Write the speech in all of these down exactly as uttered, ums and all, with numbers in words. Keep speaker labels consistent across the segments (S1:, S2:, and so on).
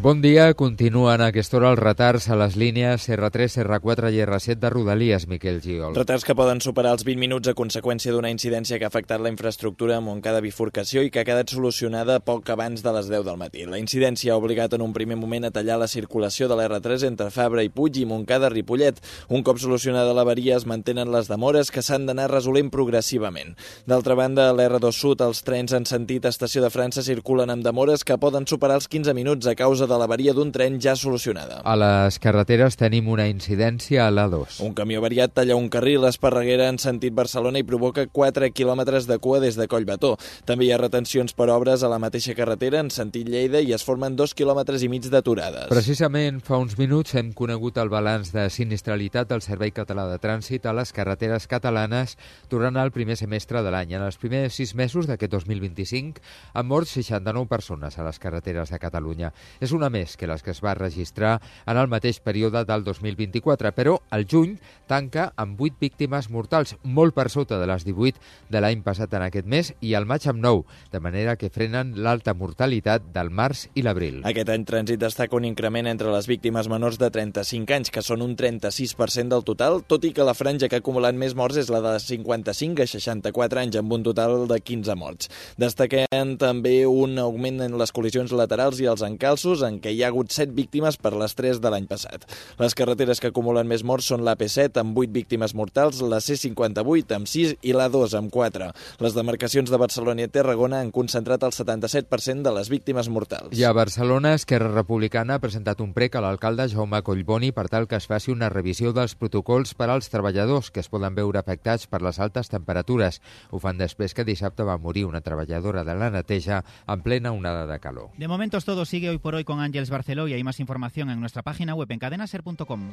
S1: Bon dia. Continuen a aquesta hora els retards a les línies erre tres, erre quatre i erre set de Rodalies, Miquel Giol.
S2: Retards que poden superar els vint minuts a conseqüència d'una incidència que ha afectat la infraestructura a Montcada bifurcació i que ha quedat solucionada poc abans de les deu del matí. La incidència ha obligat en un primer moment a tallar la circulació de l'erre tres entre Fabra i Puig i Montcada-Ripollet. Un cop solucionada l'avaria es mantenen les demores que s'han d'anar resolent progressivament. D'altra banda, a l'erre dos Sud els trens en sentit Estació de França circulen amb demores que poden superar els quinze minuts a causa de l'avaria d'un tren ja solucionada.
S1: A les carreteres tenim una incidència a l'A dos.
S2: Un camió variat talla un carril a Esparreguera en sentit Barcelona i provoca quatre quilòmetres de cua des de Collbató. També hi ha retencions per obres a la mateixa carretera en sentit Lleida i es formen dos quilòmetres i mig d'aturades.
S1: Precisament fa uns minuts hem conegut el balanç de sinistralitat del Servei Català de Trànsit a les carreteres catalanes durant el primer semestre de l'any. En els primers sis mesos d'aquest dos mil vint-i-cinc han mort seixanta-nou persones a les carreteres de Catalunya. És una més que les que es va registrar en el mateix període del dos mil vint-i-quatre, però el juny tanca amb vuit víctimes mortals, molt per sota de les divuit de l'any passat en aquest mes, i el maig amb nou, de manera que frenen l'alta mortalitat del març i l'abril.
S2: Aquest any Trànsit destaca un increment entre les víctimes menors de trenta-cinc anys, que són un trenta-sis per cent del total, tot i que la franja que ha acumulat més morts és la de cinquanta-cinc a seixanta-quatre anys, amb un total de quinze morts. Destaquem també un augment en les col·lisions laterals i els encalços, en què hi ha hagut set víctimes per les tres de l'any passat. Les carreteres que acumulen més morts són l'A P set, amb vuit víctimes mortals, la C cinquanta-vuit, amb sis, i l'A dos, amb quatre. Les demarcacions de Barcelona i Tarragona han concentrat el setanta-set per cent de les víctimes mortals.
S1: I a Barcelona, Esquerra Republicana ha presentat un prec a l'alcalde Jaume Collboni per tal que es faci una revisió dels protocols per als treballadors que es poden veure afectats per les altes temperatures. Ho fan després que dissabte va morir una treballadora de la neteja en plena onada de calor.
S3: De momento es todo. Sigue Hoy por Hoy con Ángeles Barceló y hay más información en nuestra página web en cadena ser punto com.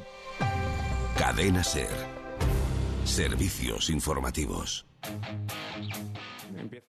S4: Cadena Ser. Servicios informativos.